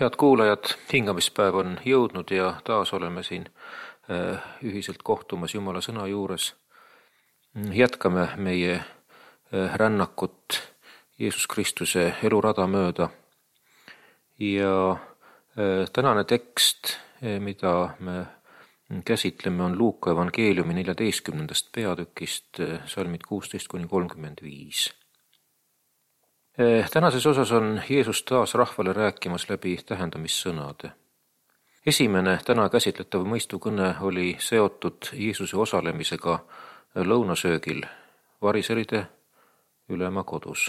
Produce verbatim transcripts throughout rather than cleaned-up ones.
Head kuulajad, hingamispäev on jõudnud ja taas oleme siin ühiselt kohtumas Jumala sõna juures. Jätkame meie rännakut Jeesus Kristuse elurada mööda. Ja tänane tekst, mida me käsitleme, on Luuka evangeeliumi neljateistkümnendast peatükist, salmid kuusteist kuni kolmkümmend viis. Tänases osas on Jeesus taas rahvale rääkimas läbi tähendamissõnade. Esimene täna käsitletav mõistukõne oli seotud Jeesuse osalemisega lõunasöögil variseride ülema kodus.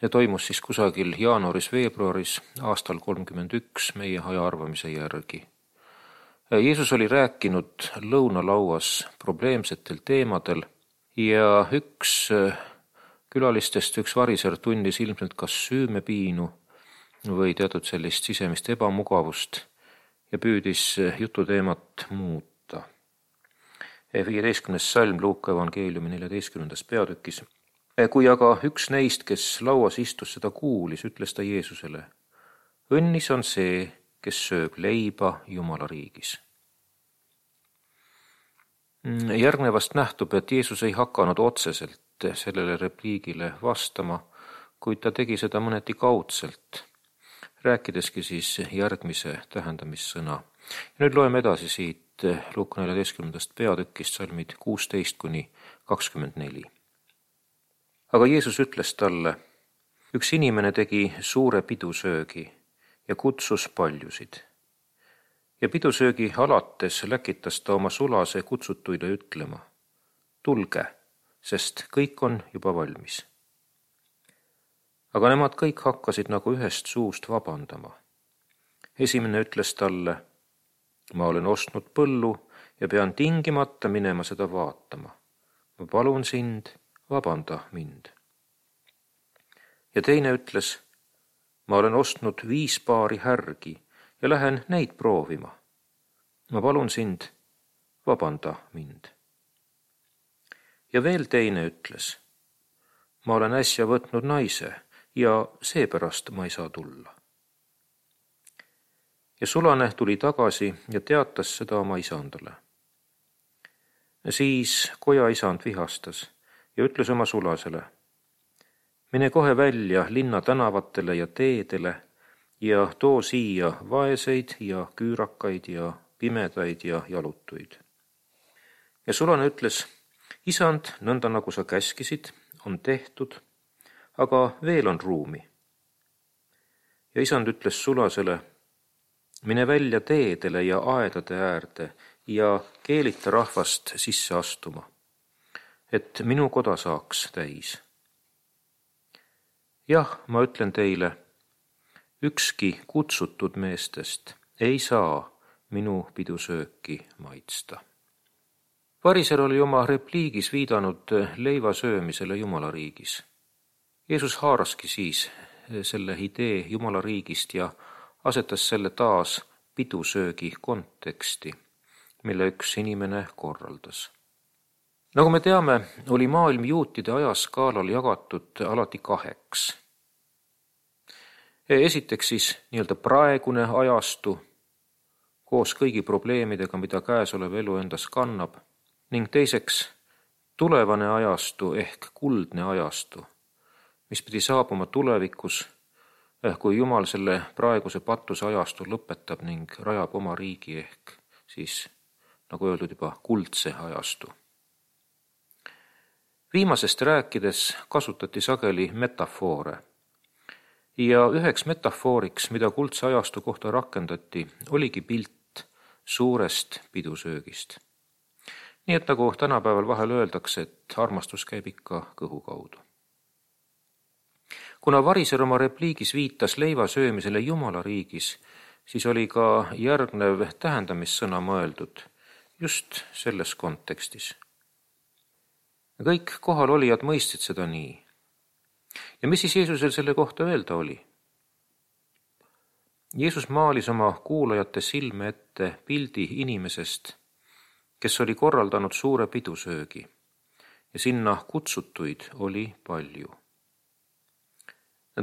Ja toimus siis kusagil jaanuaris-veebruaris aastal kolmkümmend üks meie aja arvamise järgi. Jeesus oli rääkinud lõunalauas probleemsetel teemadel ja üks külalistest, üks variser tundis ilmselt kas süümepiinu või teatud sellist sisemist ebamugavust ja püüdis jututeemat muuta. viieteistkümnes salm Luuka evangeeliumi neljateistkümnendas peatükis. Kui aga üks neist, kes lauas istus, seda kuulis, ütles ta Jeesusele: õnnis on see, kes sööb leiba Jumala riigis. Järgnevast nähtub, et Jeesus ei hakanud otseselt sellele repliigile vastama, kuid ta tegi seda mõneti kaudselt, rääkideski siis järgmise tähendamissõna. Ja nüüd loeme edasi siit Luuka neljateistkümnendast peatükist, salmid kuusteist kuni kakskümmend neli. Aga Jeesus ütles talle: üks inimene tegi suure pidusöögi ja kutsus paljusid. Ja pidusöögi alates läkitas ta oma sulase kutsutuile ütlema: tulge, sest kõik on juba valmis. Aga nemad kõik hakkasid nagu ühest suust vabandama. Esimene ütles talle: ma olen ostnud põllu ja pean tingimata minema seda vaatama. Ma palun sind, vabanda mind. Ja teine ütles: ma olen ostnud viis paari härgi ja lähen neid proovima. Ma palun sind, vabanda mind. Ja veel teine ütles: ma olen äsja võtnud naise ja seepärast ma ei saa tulla. Ja sulane tuli tagasi ja teatas seda oma isandale. Siis koja isand vihastas ja ütles oma sulasele: mine kohe välja linna tänavatele ja teedele ja too siia vaeseid ja küürakaid ja pimedaid ja jalutuid. Ja sulane ütles: isand, nõnda nagu sa käskisid, on tehtud, aga veel on ruumi. Ja isand ütles sulasele: mine välja teedele ja aedade äärde ja keelita rahvast sisse astuma, et minu koda saaks täis. Jah, ma ütlen teile, ükski kutsutud meestest ei saa minu pidusööki maitsta. Variser oli oma repliigis viidanud leiva söömisele Jumala riigis. Jeesus haaraski siis selle idee Jumala riigist ja asetas selle taas pidusöögi konteksti, mille üks inimene korraldas. Nagu me teame, oli maailm juutide ajaskaalal jagatud alati kaheks. Esiteks siis nii-öelda praegune ajastu koos kõigi probleemidega, mida käesolev elu endas kannab, ning teiseks tulevane ajastu ehk kuldne ajastu, mis pidi saabuma tulevikus, kui Jumal selle praeguse patuse ajastu lõpetab ning rajab oma riigi ehk siis, nagu öeldud, juba kuldse ajastu. Viimasest rääkides kasutati sageli metafoore ja üheks metafooriks, mida kuldse ajastu kohta rakendati, oligi pilt suurest pidusöögist. Nii et nagu tänapäeval vahel öeldakse, et armastus käib ikka kõhu kaudu. Kuna variser oma repliigis viitas leiva söömisele Jumala riigis, siis oli ka järgnev tähendamissõna mõeldud just selles kontekstis. Kõik kohalolijad mõistsid seda nii. Ja mis siis Jeesusel selle kohta öelda oli? Jeesus maalis oma kuulajate silme ette pildi inimesest, kes oli korraldanud suure pidusöögi ja sinna kutsutuid oli palju.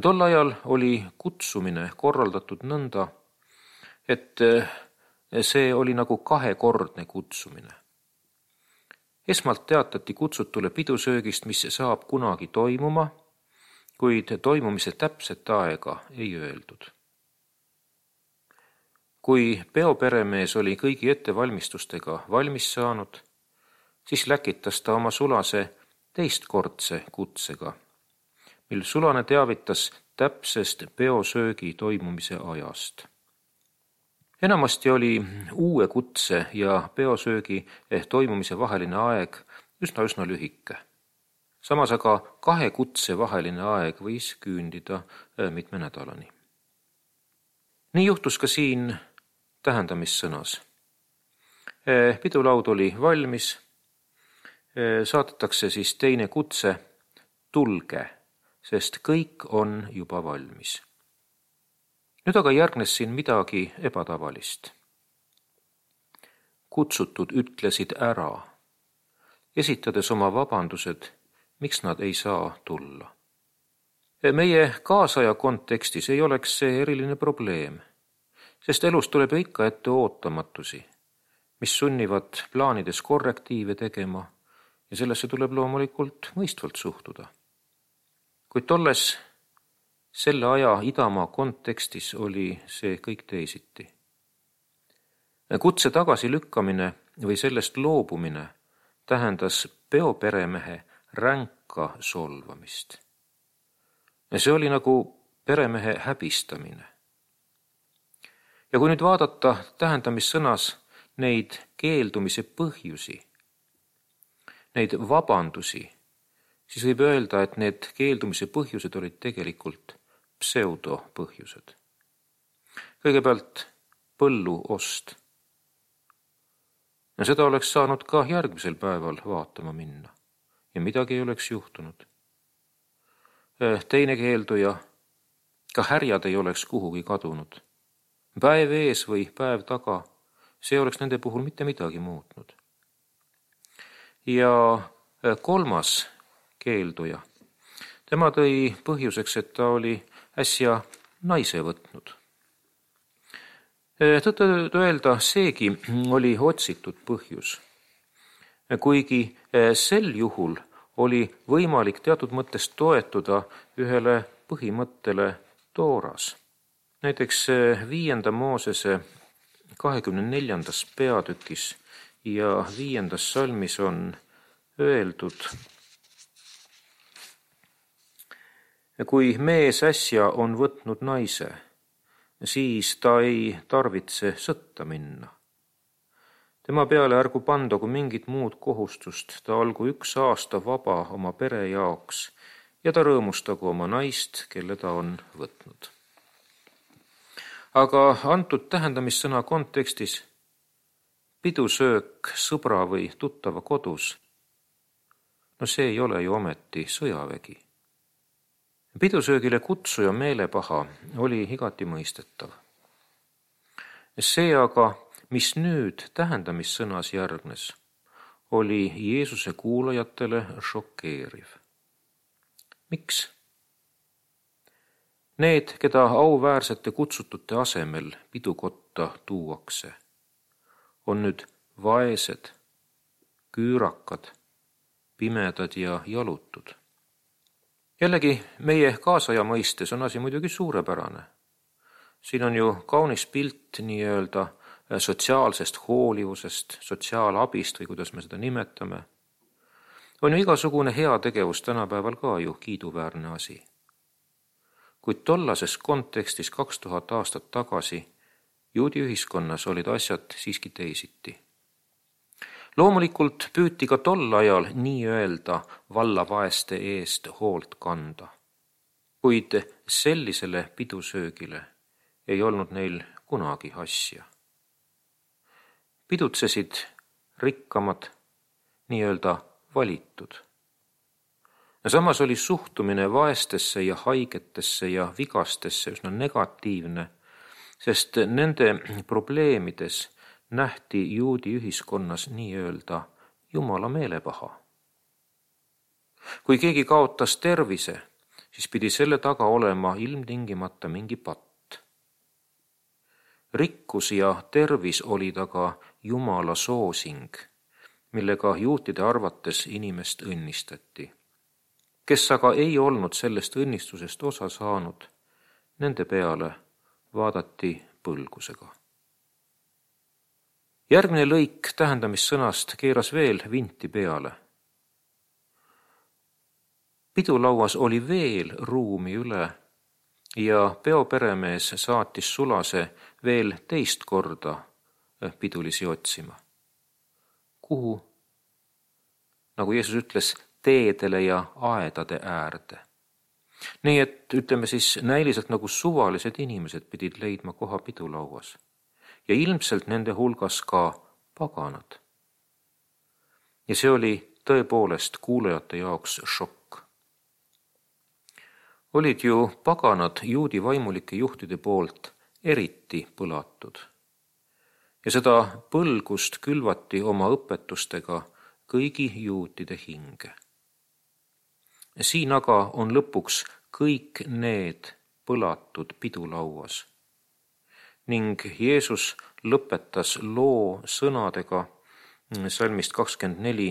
Tol ajal oli kutsumine korraldatud nõnda, et see oli nagu kahekordne kutsumine. Esmalt teatati kutsutule pidusöögist, mis saab kunagi toimuma, kuid toimumise täpset aega ei öeldud. Kui peoperemees oli kõigi ettevalmistustega valmis saanud, siis läkitas ta oma sulase teistkordse kutsega, mil sulane teavitas täpsest peosöögi toimumise ajast. Enamasti oli uue kutse ja peosöögi ehk toimumise vaheline aeg üsna-üsna lühike. Samas aga kahe kutse vaheline aeg võis küündida mitme nädalani. Nii juhtus ka siin tähendamissõnas. Pidulaud oli valmis, saadetakse siis teine kutse, tulge, sest kõik on juba valmis. Nüüd aga järgnes siin midagi ebatavalist. Kutsutud ütlesid ära, esitades oma vabandused, miks nad ei saa tulla. Meie kaasaja kontekstis ei oleks see eriline probleem, sest elus tuleb ikka ette ootamatusi, mis sunnivad plaanides korrektiive tegema ja sellesse tuleb loomulikult mõistvalt suhtuda. Kuid tolles selle aja idamaa kontekstis oli see kõik teisiti. Kutse tagasi lükkamine või sellest loobumine tähendas peoperemehe ränka solvamist. See oli nagu peremehe häbistamine. Ja kui nüüd vaadata tähendamissõnas neid keeldumise põhjusi, neid vabandusi, siis võib öelda, et need keeldumise põhjused olid tegelikult pseudopõhjused. Kõigepealt põllu ost. Ja seda oleks saanud ka järgmisel päeval vaatama minna ja midagi ei oleks juhtunud. Teine keelduja, ka härjad ei oleks kuhugi kadunud. Päev ees või päev taga, see oleks nende puhul mitte midagi muutnud. Ja kolmas keelduja. Tema tõi põhjuseks, et ta oli äsja naise võtnud. Tõtt öelda, seegi oli otsitud põhjus. Kuigi sel juhul oli võimalik teatud mõttes toetuda ühele põhimõttele Tooras. Näiteks viienda Moosese kahekümne neljandas peatükis ja viiendas salmis on öeldud, kui mees äsja on võtnud naise, siis ta ei tarvitse sõtta minna. Tema peale ärgu pandagu mingit muud kohustust, ta olgu üks aasta vaba oma pere jaoks ja ta rõõmustagu oma naist, kelle ta on võtnud. Aga antud tähendamissõna kontekstis pidusöök sõbra või tuttava kodus, no see ei ole ju ometi sõjavägi. Pidusöögile kutsuja meelepaha oli igati mõistetav. See aga, mis nüüd tähendamissõnas järgnes, oli Jeesuse kuulajatele šokeeriv. Miks? Need, keda auväärsete kutsutute asemel pidukotta tuuakse, on nüüd vaesed, küürakad, pimedad ja jalutud. Jällegi, meie kaasaja mõistes on asi muidugi suurepärane. Siin on ju kaunis pilt nii-öelda sotsiaalsest hoolivusest, sotsiaalabist või kuidas me seda nimetame. On ju igasugune heategevus tänapäeval ka ju kiiduväärne asi. Kuid tollases kontekstis kaks tuhat aastat tagasi juudi ühiskonnas olid asjad siiski teisiti. Loomulikult püüti ka tol ajal nii-öelda vallavaeste eest hoolt kanda, kuid sellisele pidusöögile ei olnud neil kunagi asja. Pidutsesid rikkamad, nii-öelda valitud. Ja samas oli suhtumine vaestesse ja haigetesse ja vigastesse üsna negatiivne, sest nende probleemides nähti juudi ühiskonnas nii-öelda Jumala meelepaha. Kui keegi kaotas tervise, siis pidi selle taga olema ilmtingimata mingi patt. Rikkus ja tervis oli taga Jumala soosing, millega juutide arvates inimest õnnistati. Kes aga ei olnud sellest õnnistusest osa saanud, nende peale vaadati põlgusega. Järgmine lõik tähendamissõnast keeras veel vinti peale. Pidulauas oli veel ruumi üle ja peoperemees saatis sulase veel teist korda pidulisi otsima. Kuhu? Nagu Jeesus ütles, teedele ja aedade äärde. Nii et ütleme siis näiliselt nagu suvalised inimesed pidid leidma koha pidulauas ja ilmselt nende hulgas ka paganad. Ja see oli tõepoolest kuulajate jaoks šokk. Olid ju paganad juudi vaimulike juhtide poolt eriti põlatud. Ja seda põlgust külvati oma õpetustega kõigi juutide hinge. Siin aga on lõpuks kõik need põlatud pidulauas. Ning Jeesus lõpetas loo sõnadega salmist kakskümmend neli.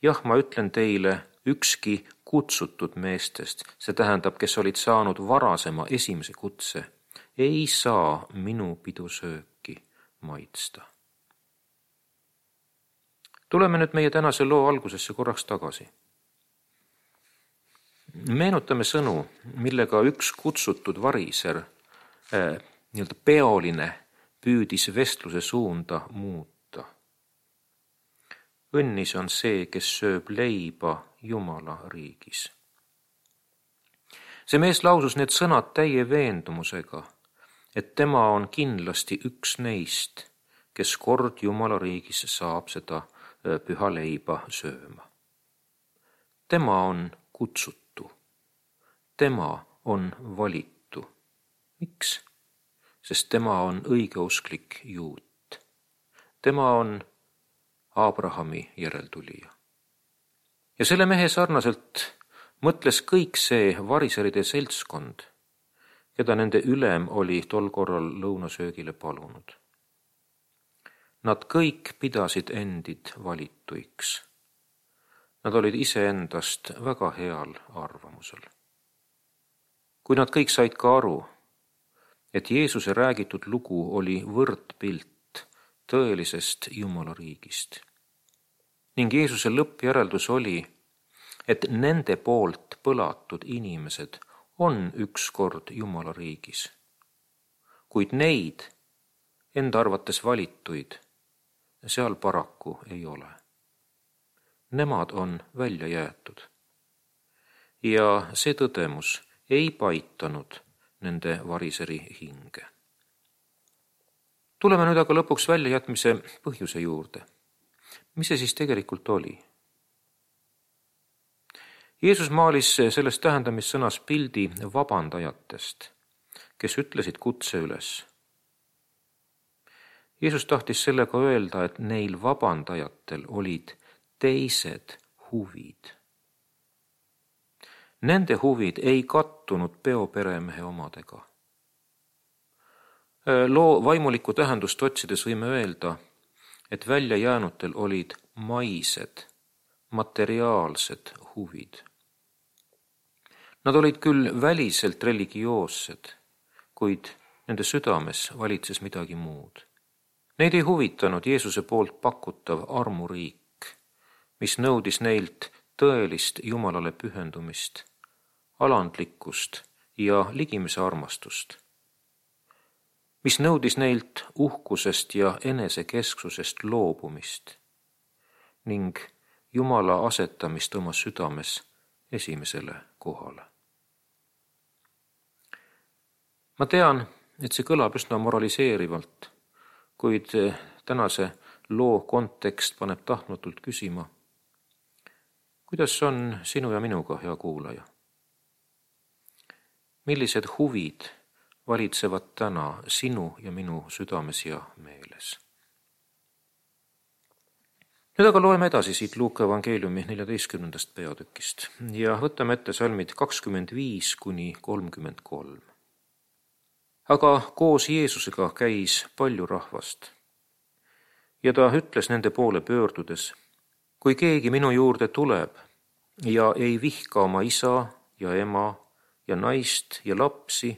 Jah, ma ütlen teile, ükski kutsutud meestest, see tähendab, kes olid saanud varasema esimese kutse, ei saa minu pidusööki maitsta. Tuleme nüüd meie tänase loo algusesse korraks tagasi. Meenutame sõnu, millega üks kutsutud variser, äh, nii-öelda peoline, püüdis vestluse suunda muuta. Õnnis on see, kes sööb leiba Jumala riigis. See mees lausus need sõnad täie veendumusega, et tema on kindlasti üks neist, kes kord Jumala riigis saab seda püha leiba sööma. Tema on kutsutu. Tema on valitu. Miks? Sest tema on õigeusklik juut. Tema on Abrahami järeltulija. Ja selle mehe sarnaselt mõtles kõik see variseride seltskond, keda nende ülem oli tol korral lõunasöögile palunud. Nad kõik pidasid endid valituiks. Nad olid iseendast väga heal arvamusel. Kui nad kõik said ka aru, et Jeesuse räägitud lugu oli võrdpilt tõelisest Jumala riigist. Ning Jeesuse lõppjäreldus oli, et nende poolt põlatud inimesed on ükskord Jumala riigis. Kuid neid, enda arvates valituid, seal paraku ei ole. Nemad on välja jäetud. Ja see tõdemus ei paitanud nende variseri hinge. Tuleme nüüd aga lõpuks väljajätmise põhjuse juurde. Mis see siis tegelikult oli? Jeesus maalis selles tähendamissõnas pildi vabandajatest, kes ütlesid kutse üles. Jeesus tahtis sellega öelda, et neil vabandajatel olid teised huvid. Nende huvid ei kattunud peoperemehe omadega. Loo vaimulikku tähendust otsides võime öelda, et välja jäänutel olid maised, materiaalsed huvid. Nad olid küll väliselt religioossed, kuid nende südames valitses midagi muud. Neid ei huvitanud Jeesuse poolt pakutav armuriik, mis nõudis neilt tõelist Jumalale pühendumist, alandlikkust ja ligimise armastust, mis nõudis neilt uhkusest ja enesekesksusest loobumist ning Jumala asetamist oma südames esimesele kohale. Ma tean, et see kõlab üsna moraliseerivalt, kuid tänase loo kontekst paneb tahtmatult küsima, kuidas on sinu ja minuga, hea kuulaja? Millised huvid valitsevad täna sinu ja minu südames ja meeles? Nüüd aga loeme edasi siit Luuka evangeeliumi neljateistkümnendast peatükist ja võtame ette salmid kakskümmend viis kuni kolmkümmend kolm. Aga koos Jeesusega käis palju rahvast ja ta ütles nende poole pöördudes: kui keegi minu juurde tuleb ja ei vihka oma isa ja ema ja naist ja lapsi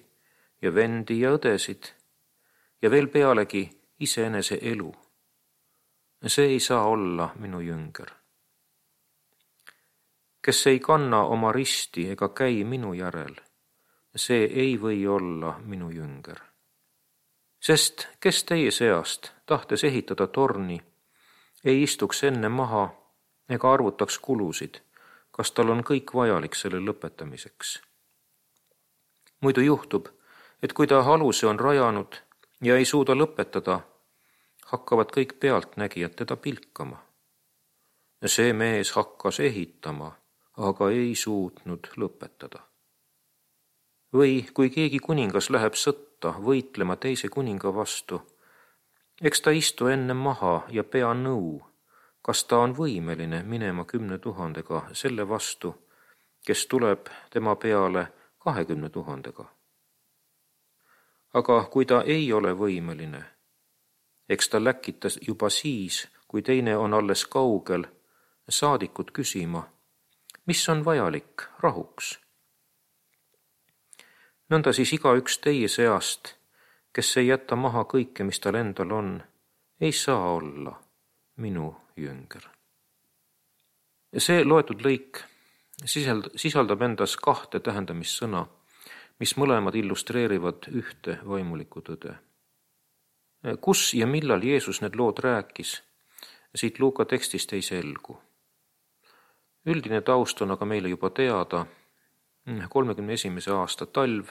ja vendi ja õdesid ja veel pealegi iseenese elu, see ei saa olla minu jünger. Kes ei kanna oma risti ega käi minu järel, see ei või olla minu jünger. Sest kes teie seast, tahtes ehitada torni, ei istuks enne maha ega arvutaks kulusid, kas tal on kõik vajalik selle lõpetamiseks. Muidu juhtub, et kui ta aluse on rajanud ja ei suuda lõpetada, hakkavad kõik pealtnägijad teda pilkama. See mees hakkas ehitama, aga ei suutnud lõpetada. Või kui keegi kuningas läheb sõtta võitlema teise kuninga vastu, eks ta istu enne maha ja pea nõu, kas ta on võimeline minema kümne tuhandega selle vastu, kes tuleb tema peale kahekümne tuhandega. Aga kui ta ei ole võimeline, eks ta läkitas juba siis, kui teine on alles kaugel, saadikut küsima, mis on vajalik rahuks. Nõnda siis igaüks teie seast, kes ei jäta maha kõike, mis tal endal on, ei saa olla minu jünger. See loetud lõik sisaldab endas kahte tähendamissõna, mis mõlemad illustreerivad ühte vaimulikku tõde. Kus ja millal Jeesus need lood rääkis, siit Luuka tekstist ei selgu. Üldine taust on aga meile juba teada, kolmekümne esimese aasta talv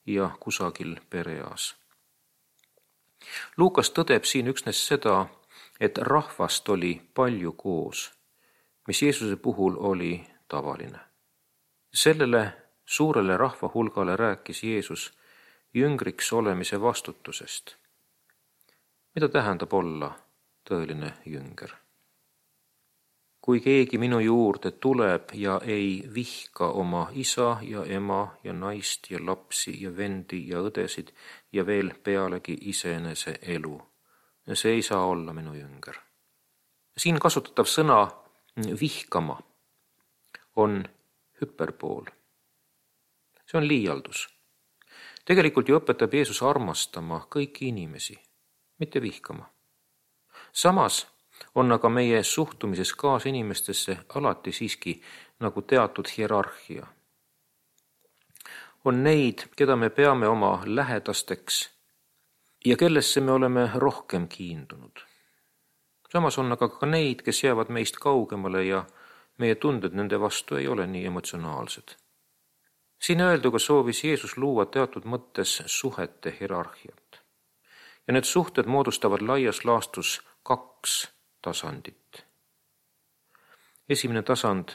ja kusagil pereas. Luukas tõdeb siin üksnes seda, et rahvast oli palju koos, mis Jeesuse puhul oli tavaline. Sellele suurele rahvahulgale rääkis Jeesus jüngriks olemise vastutusest. Mida tähendab olla tõeline jünger? Kui keegi minu juurde tuleb ja ei vihka oma isa ja ema ja naist ja lapsi ja vendi ja õdesid ja veel pealegi iseenese elu, see ei saa olla minu jünger. Siin kasutatav sõna vihkama on hüperbool. See on liialdus. Tegelikult ju õpetab Jeesus armastama kõiki inimesi, mitte vihkama. Samas on aga meie suhtumises kaasinimestesse alati siiski nagu teatud hierarhia. On neid, keda me peame oma lähedasteks ja kellesse me oleme rohkem kiindunud. Samas on aga ka neid, kes jäävad meist kaugemale ja meie tunded nende vastu ei ole nii emotsionaalsed. Siin öelduga soovis Jeesus luua teatud mõttes suhete hierarhiat. Ja need suhted moodustavad laias laastus kaks tasandit. Esimene tasand,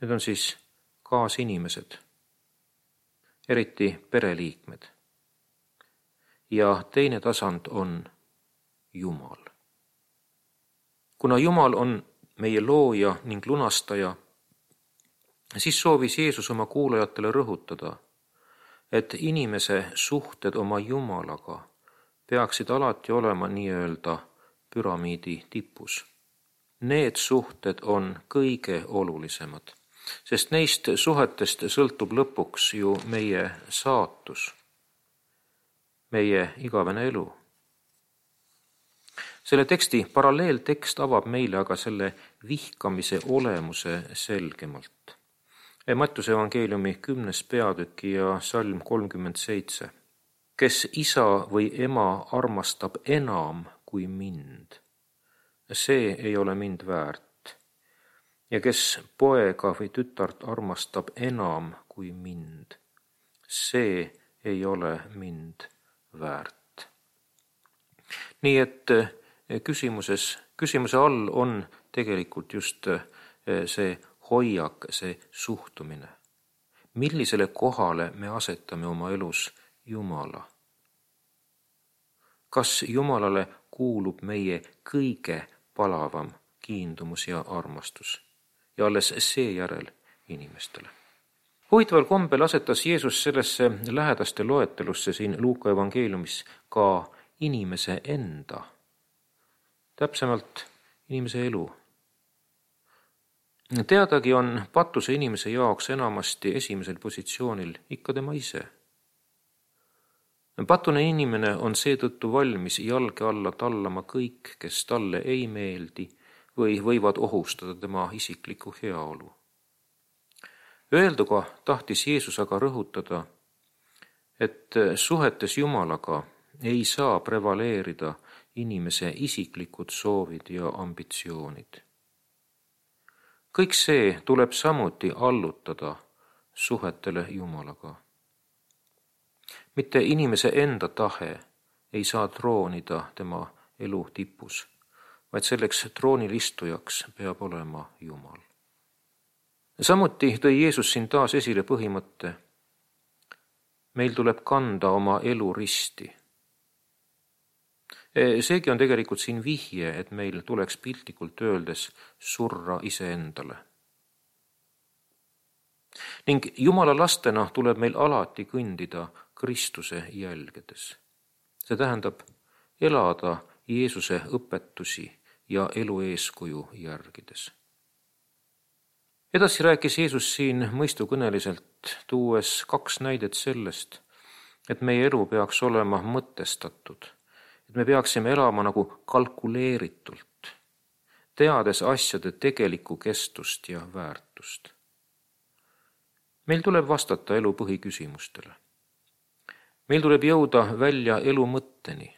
need on siis kaasinimesed, eriti pereliikmed. Ja teine tasand on Jumal. Kuna Jumal on meie looja ning lunastaja, siis soovis Jeesus oma kuulajatele rõhutada, et inimese suhted oma Jumalaga peaksid alati olema nii-öelda püramiidi tipus. Need suhted on kõige olulisemad, sest neist suhetest sõltub lõpuks ju meie saatus, meie igavene elu. Selle teksti paralleeltekst avab meile aga selle vihkamise olemuse selgemalt. Mattuse evangeeliumi kümnes peatüki ja salm kolmkümmend seitse. Kes isa või ema armastab enam kui mind, see ei ole mind väärt. Ja kes poega või tütart armastab enam kui mind, see ei ole mind väärt. Nii et küsimuses, küsimuse all on tegelikult just see hoiak, see suhtumine. Millisele kohale me asetame oma elus Jumala? Kas Jumalale kuulub meie kõige palavam kiindumus ja armastus ja alles seejärel inimestele. Huvitaval kombel asetas Jeesus sellesse lähedaste loetelusse siin Luuka evangeeliumis ka inimese enda, täpsemalt inimese elu. Teadagi on patuse inimese jaoks enamasti esimesel positsioonil ikka tema ise. Patune inimene on seetõttu valmis jalge alla tallama kõik, kes talle ei meeldi või võivad ohustada tema isiklikku heaolu. Öelduga tahtis Jeesus aga rõhutada, et suhetes Jumalaga ei saa prevaleerida inimese isiklikud soovid ja ambitsioonid. Kõik see tuleb samuti allutada suhetele Jumalaga. Mitte inimese enda tahe ei saa troonida tema elu tipus, vaid selleks troonil istujaks peab olema Jumal. Samuti tõi Jeesus siin taas esile põhimõtte, meil tuleb kanda oma elu risti. Seegi on tegelikult siin vihje, et meil tuleks piltlikult öeldes surra iseendale. Ning Jumala lastena tuleb meil alati kõndida Kristuse jälgedes. See tähendab elada Jeesuse õpetusi ja elu eeskuju järgides. Edasi rääkis Jeesus siin mõistukõneliselt, tuues kaks näidet sellest, et meie elu peaks olema mõtestatud, et me peaksime elama nagu kalkuleeritult, teades asjade tegelikku kestust ja väärtust. Meil tuleb vastata elu põhiküsimustele. Meil tuleb jõuda välja elu mõtteni.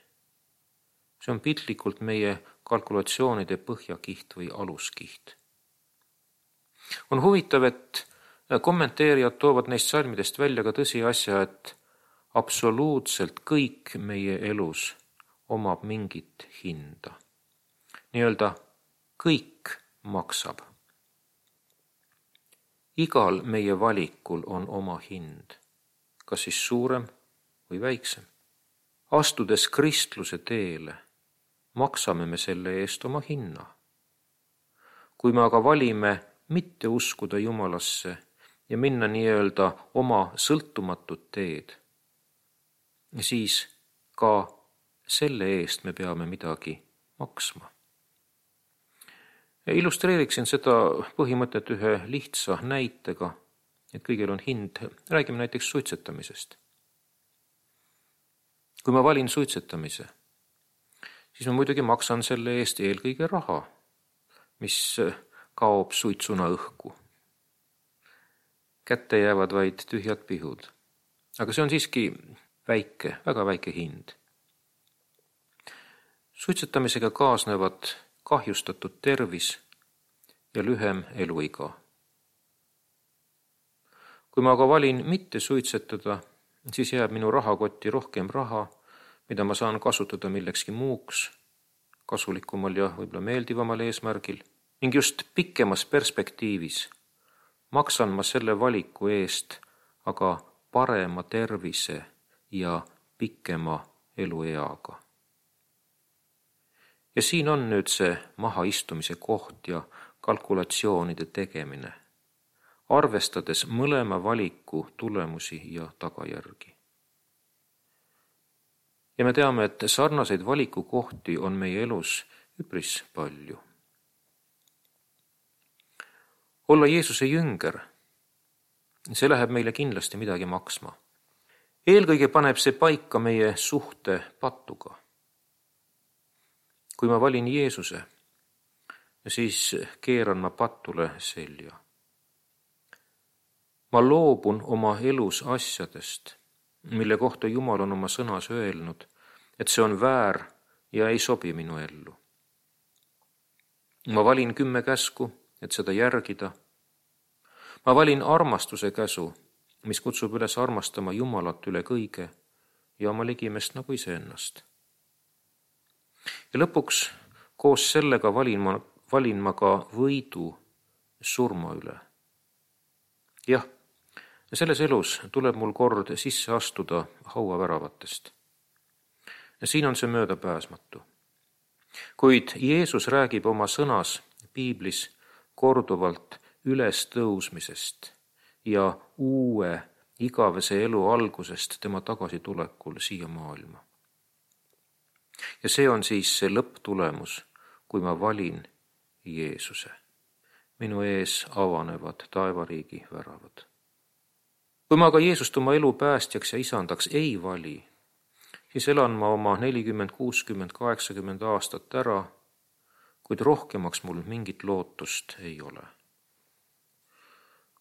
See on piltlikult meie kalkulatsioonide põhjakiht või aluskiht. On huvitav, et kommenteerijad toovad neist salmidest välja ka tõsiasja, et absoluutselt kõik meie elus omab mingit hinda. Nii-öelda kõik maksab. Igal meie valikul on oma hind, kas siis suurem või väiksem. Astudes kristluse teele, maksame me selle eest oma hinna. Kui me aga valime mitte uskuda Jumalasse ja minna nii-öelda oma sõltumatut teed, siis ka selle eest me peame midagi maksma. Illustreeriksin seda põhimõtet ühe lihtsa näitega, et kõigil on hind. Räägime näiteks suitsetamisest. Kui ma valin suitsetamise, siis ma muidugi maksan selle eest eelkõige raha, mis kaob suitsuna õhku. Kätte jäävad vaid tühjad pihud. Aga see on siiski väike, väga väike hind. Suitsetamisega kaasnevad kahjustatud tervis ja lühem eluiga. Kui ma aga valin mitte suitsetada, siis jääb minu rahakotti rohkem raha, mida ma saan kasutada millekski muuks, kasulikumal ja võib-olla meeldivamal eesmärgil, ning just pikemas perspektiivis maksan ma selle valiku eest aga parema tervise ja pikema elueaga. Ja siin on nüüd see mahaistumise koht ja kalkulatsioonide tegemine, arvestades mõlema valiku tulemusi ja tagajärgi. Ja me teame, et sarnaseid valikukohti on meie elus üpris palju. Olla Jeesuse jünger, see läheb meile kindlasti midagi maksma. Eelkõige paneb see paika meie suhte patuga. Kui ma valin Jeesuse, siis keeran ma patule selja. Ma loobun oma elus asjadest, mille kohta Jumal on oma sõnas öelnud, et see on väär ja ei sobi minu ellu. Ma valin kümme käsku, et seda järgida. Ma valin armastuse käsu, mis kutsub üles armastama Jumalat üle kõige ja oma ligimest nagu iseennast. Ja lõpuks koos sellega valin ma, valin ma ka võidu surma üle. Jah, selles elus tuleb mul kord sisse astuda hauaväravatest. Ja siin on see möödapääsmatu. Kuid Jeesus räägib oma sõnas piiblis korduvalt ülestõusmisest ja uue igavese elu algusest tema tagasitulekul siia maailma. Ja see on siis see lõpptulemus, kui ma valin Jeesuse. Minu ees avanevad taevariigi väravad. Kui ma aga Jeesust oma elu päästjaks ja isandaks ei vali, siis elan ma oma nelikümmend, kuuskümmend, kaheksakümmend aastat ära, kuid rohkemaks mul mingit lootust ei ole.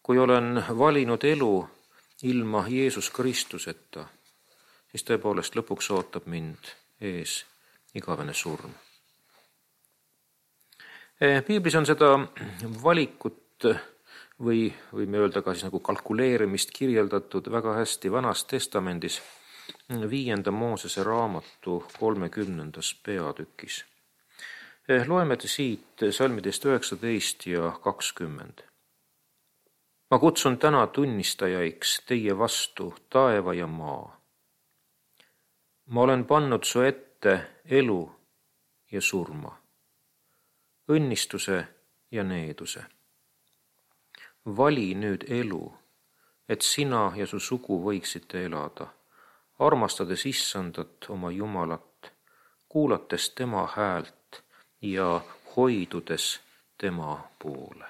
Kui olen valinud elu ilma Jeesus Kristuseta, siis tõepoolest lõpuks ootab mind ees igavene surm. Piiblis on seda valikut või võime öelda ka siis nagu kalkuleerimist kirjeldatud väga hästi Vanas Testamendis viienda Moosese raamatu kolmekümnendas peatükis. Loeme siit salmidest üheksateist ja kakskümmend. Ma kutsun täna tunnistajaiks teie vastu taeva ja maa. Ma olen pannud su ette elu ja surma, õnnistuse ja needuse. Vali nüüd elu, et sina ja su sugu võiksite elada, armastades Issandat oma Jumalat, kuulates tema häält ja hoidudes tema poole.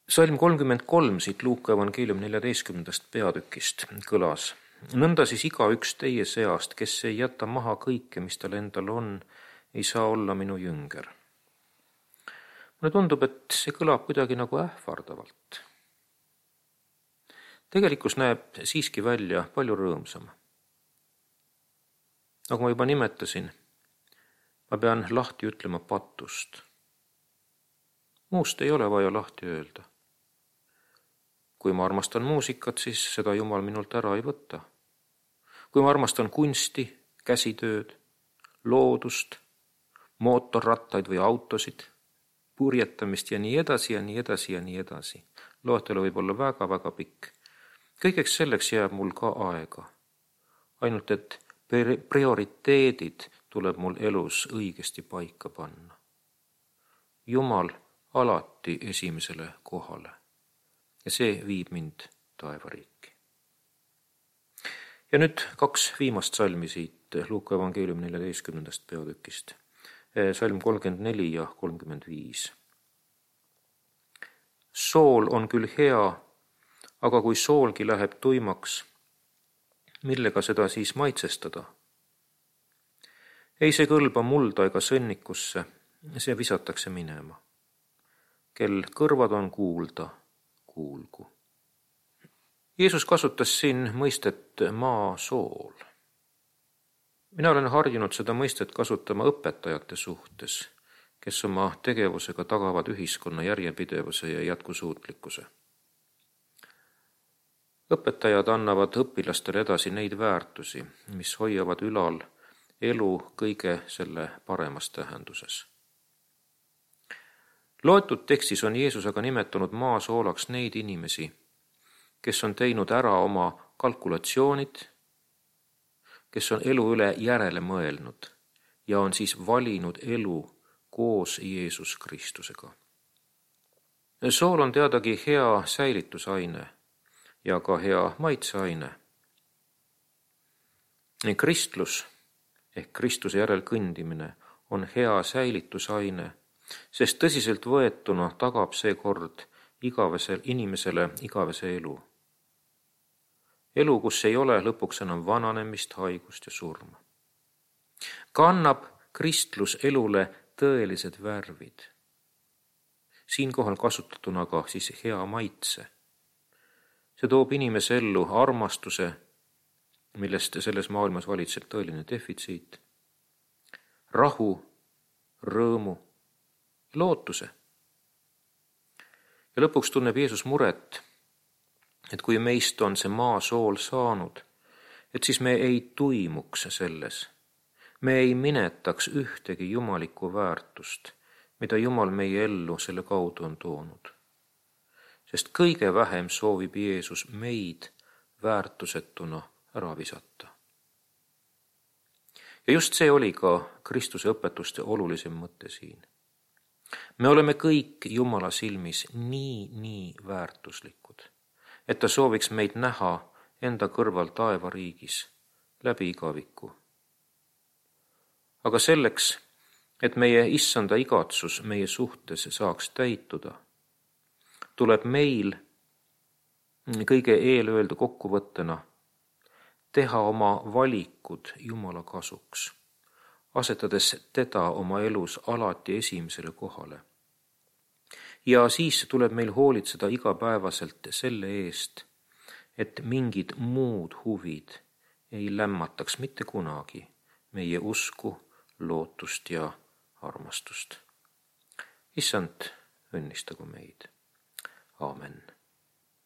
Salm kolmkümmend kolm siit Luuka evangeeliumi neljateistkümnendast peatükist kõlas. Nõnda siis igaüks teie seast, kes ei jäta maha kõike, mis tal endal on, ei saa olla minu jünger. Mulle tundub, et see kõlab kuidagi nagu ähvardavalt. Tegelikkus näeb siiski välja palju rõõmsam. Nagu ma juba nimetasin, ma pean lahti ütlema patust. Muust ei ole vaja lahti öelda. Kui ma armastan muusikat, siis seda Jumal minult ära ei võta. Kui ma armastan kunsti, käsitööd, loodust, mootorrattaid või autosid, purjetamist ja nii edasi ja nii edasi ja nii edasi. Loetelu võib olla väga-väga pikk. Kõigeks selleks jääb mul ka aega. Ainult, et prioriteedid tuleb mul elus õigesti paika panna. Jumal alati esimesele kohale. Ja see viib mind taevariiki. Ja nüüd kaks viimast salmi siit Luuka evangeeliumi neljateistkümnendast peatükist. Salm kolmkümmend neli ja kolmkümmend viis. Sool on küll hea, aga kui soolgi läheb tuimaks, millega seda siis maitsestada? Ei see kõlba mulda ega sõnnikusse, see visatakse minema. Kel kõrvad on kuulda, kuulgu. Jeesus kasutas siin mõistet maa sool. Mina olen harjunud seda mõistet kasutama õpetajate suhtes, kes oma tegevusega tagavad ühiskonna järjepidevuse ja jätkusuutlikkuse. Õpetajad annavad õpilastele edasi neid väärtusi, mis hoiavad ülal elu kõige selle paremas tähenduses. Loetud tekstis on Jeesus aga nimetanud maa soolaks neid inimesi, kes on teinud ära oma kalkulatsioonid, kes on elu üle järele mõelnud ja on siis valinud elu koos Jeesus Kristusega. Sool on teadagi hea säilitusaine ja ka hea maitseaine. Kristlus ehk Kristuse järel kõndimine on hea säilitusaine, sest tõsiselt võetuna tagab see kord igavesel inimesele igavese elu. Elu, kus ei ole lõpuks enam vananemist, haigust ja surma. Kannab kristlus elule tõelised värvid. Siinkohal kasutatuna ka siis hea maitse. See toob inimese ellu armastuse, millest selles maailmas valitseb tõeline defitsiit, rahu, rõõmu, lootuse. Ja lõpuks tunneb Jeesus muret, et kui meist on see maa sool saanud, et siis me ei tuimuks selles. Me ei minetaks ühtegi jumalikku väärtust, mida Jumal meie ellu selle kaudu on toonud. Sest kõige vähem soovib Jeesus meid väärtusetuna ära visata. Ja just see oli ka Kristuse õpetuste olulisem mõte siin. Me oleme kõik Jumala silmis nii, nii väärtuslikud, et ta sooviks meid näha enda kõrval taevariigis läbi igaviku. Aga selleks, et meie issanda igatsus meie suhtes saaks täituda, tuleb meil kõige eelöeldu kokkuvõttena teha oma valikud Jumala kasuks, asetades teda oma elus alati esimesele kohale. Ja siis tuleb meil hoolitseda igapäevaselt selle eest, et mingid muud huvid ei lämmataks mitte kunagi meie usku, lootust ja armastust. Issand, õnnistagu meid. Aamen.